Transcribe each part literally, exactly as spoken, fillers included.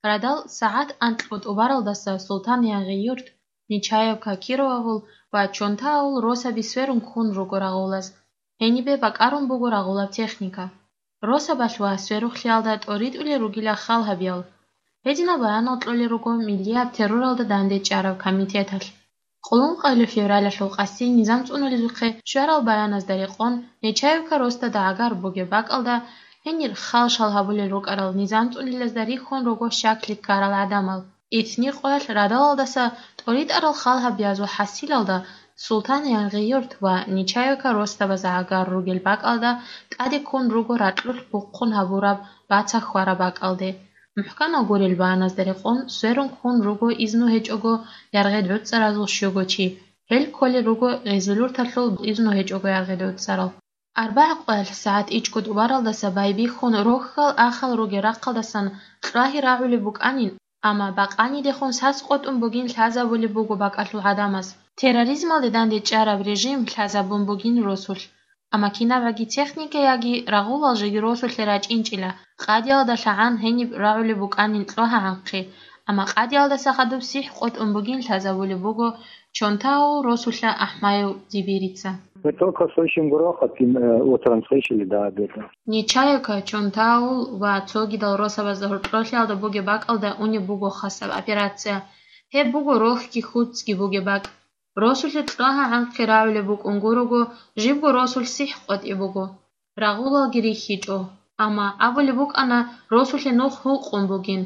Радал сагӀат анкьго тӀубаралдаса Султан-Янгъи-Юрт, Нечаевка Кировавул ва Чонтаавул росаби сверун ккун руго рагъулаз. Гьенибе бакӀарун буго рагъулаб техника. Росабалъ ва сверухълъиялда тӀоритӀулел ругила хал гьабиял. Гьединал баянал кьолел руго миллияб терроралда дандечӀараб комитеталъ. Къуллункъоялъул февралалъул къаси низам цӀунулезухъе щварал баяназда рекъон, Нечаевка росда дагӀагар бугеб бакӀалда гьенир хал-шал гьабулел рукӀарал низам цӀунилазда рихьун руго щаклъи ккарал гӀадамал. Итни къоялъ радалалдаса тӀоритӀарал хал гьабиязул хӀасилалда Султан-Янгъи-Юрт ва Нечаевка росдабаз гӀагар ругел бакӀалда тӀаде ккун руго ракьулъ бухъун гьабураб бацахь хьвараб бакӀалде. МухӀканав гурел баяназда рекъон, сверун ккун руго изну гьечӀого яргъи гӀуцӀаразул щуго чи. Гьел кколел руго гъезилурталъул изну гьечӀого яргъи гӀуцӀарал. АрбагӀа къоялъ сагӀат ичӀго тӀубаралдаса байбихьун рохьал ахал ругел рахъалдасан кьвагьи рагӀулеб букӀанин, амма бакъанидехун сас къотӀун бугин лъазабулеб буго бакӀалъул гӀадамаз. Терроризмалде дандечӀараб режим лъазабун бугин росулъ. Амма кинабгӀаги техника яги рагъулал жеги росулъе рачӀинчӀила, къадиялда лъагӀан гьениб рагӀулеб букӀанин кьвагьа гӀанхъи, амма къадиялдаса хадуб сихӀ къотӀун бугин лъазабулеб буго Чонтаавул росулъа АхӀмаев Дибирица. Мы только слышим грохот, и, э, утром слышали, да, об этом. Нечаевка, Чонтаавул ва цогидал росабазда гьоркьорлъиялда бугеб бакӀалда унеб буго хасаб операция. Гьеб буго рохьги хьуцӀги бугеб бакӀ. Росулъе кьвагьа гӀанхъи рагӀулеб букӀун гурого, жибго росулъ сихӀ къотӀи буго. Рагъулалги рихьичӀо. Амма абулеб букӀана, росулъе нух гьукъун бугин.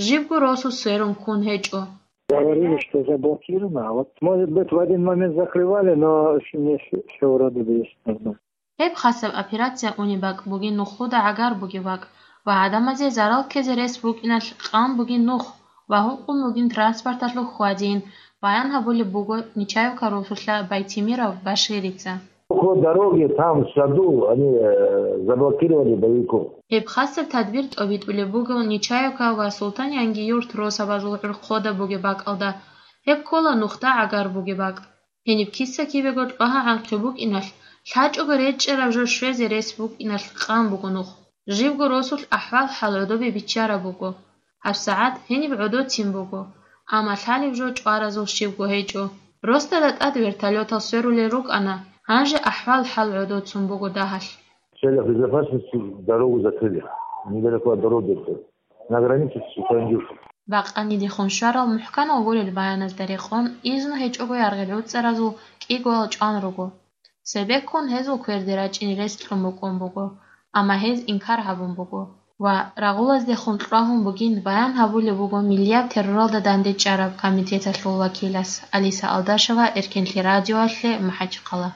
Жибго росу сверун ккун гьечӀо. Говорили, что заблокировано, а вот, может быть, в один момент закрывали, но с-, не с-, всё вроде бы есть нормально. Гьеб хасаб операция унеб бакӀ бугин нухлуда гӀагар бугеб бакӀ ва гӀадамазе зарал ккезе рес букӀиналъ къан бугин нух ва гьукъун бугин транспорталъул хьвадин, баян гьабулеб буго Нечаевка росулъа Байтимиров Баширица. Около дороги, там, в саду, они, э, заблокировали боевиков. Гьеб хасаб тадбир тӀобитӀулеб буго Нечаевка ва Султан-Янгиюрт росабазул гӀурхъода бугеб бакӀалда. Гьеб ккола нухда гӀагар бугеб бакӀ. Гьениб киса-кибего кьвагьа гӀанхъи букӀиналъ, лъачӀого речӀчӀараб жо щвезе рес букӀиналъ къан буго нух. Жибго росулъ ахӀвал-хӀал гӀодобе биччараб буго. ГьабсагӀат гьениб гӀодоцин буго, амма лъалеб жо чӀваразул щибго гьечӀо. Росдада тӀад вертолётал сверулел рукӀана, гьанже ахӀвал-хӀал гӀодоцун буго дагьалъ. В целях безопасности дорогу закрыли. Недалеко от дороги это. На границе с Суханьюртом. Бакъанидехун щварал мухӀканал гурел баяназда рекъон, изну гьечӀого яргъи гӀуцӀаразул кӀигоял чӀван руго. Цебеккун гьезул кверде рачӀине рес кьун букӀун буго, амма гьез инкар гьабун буго ва рагъулаздехун кьвагьун бугин баян гьабулеб буго миллияб терроралда дандечӀараб комитеталъул вакилас Алиса Алдашева Эркенлъи радиоялъе МахӀачхъала.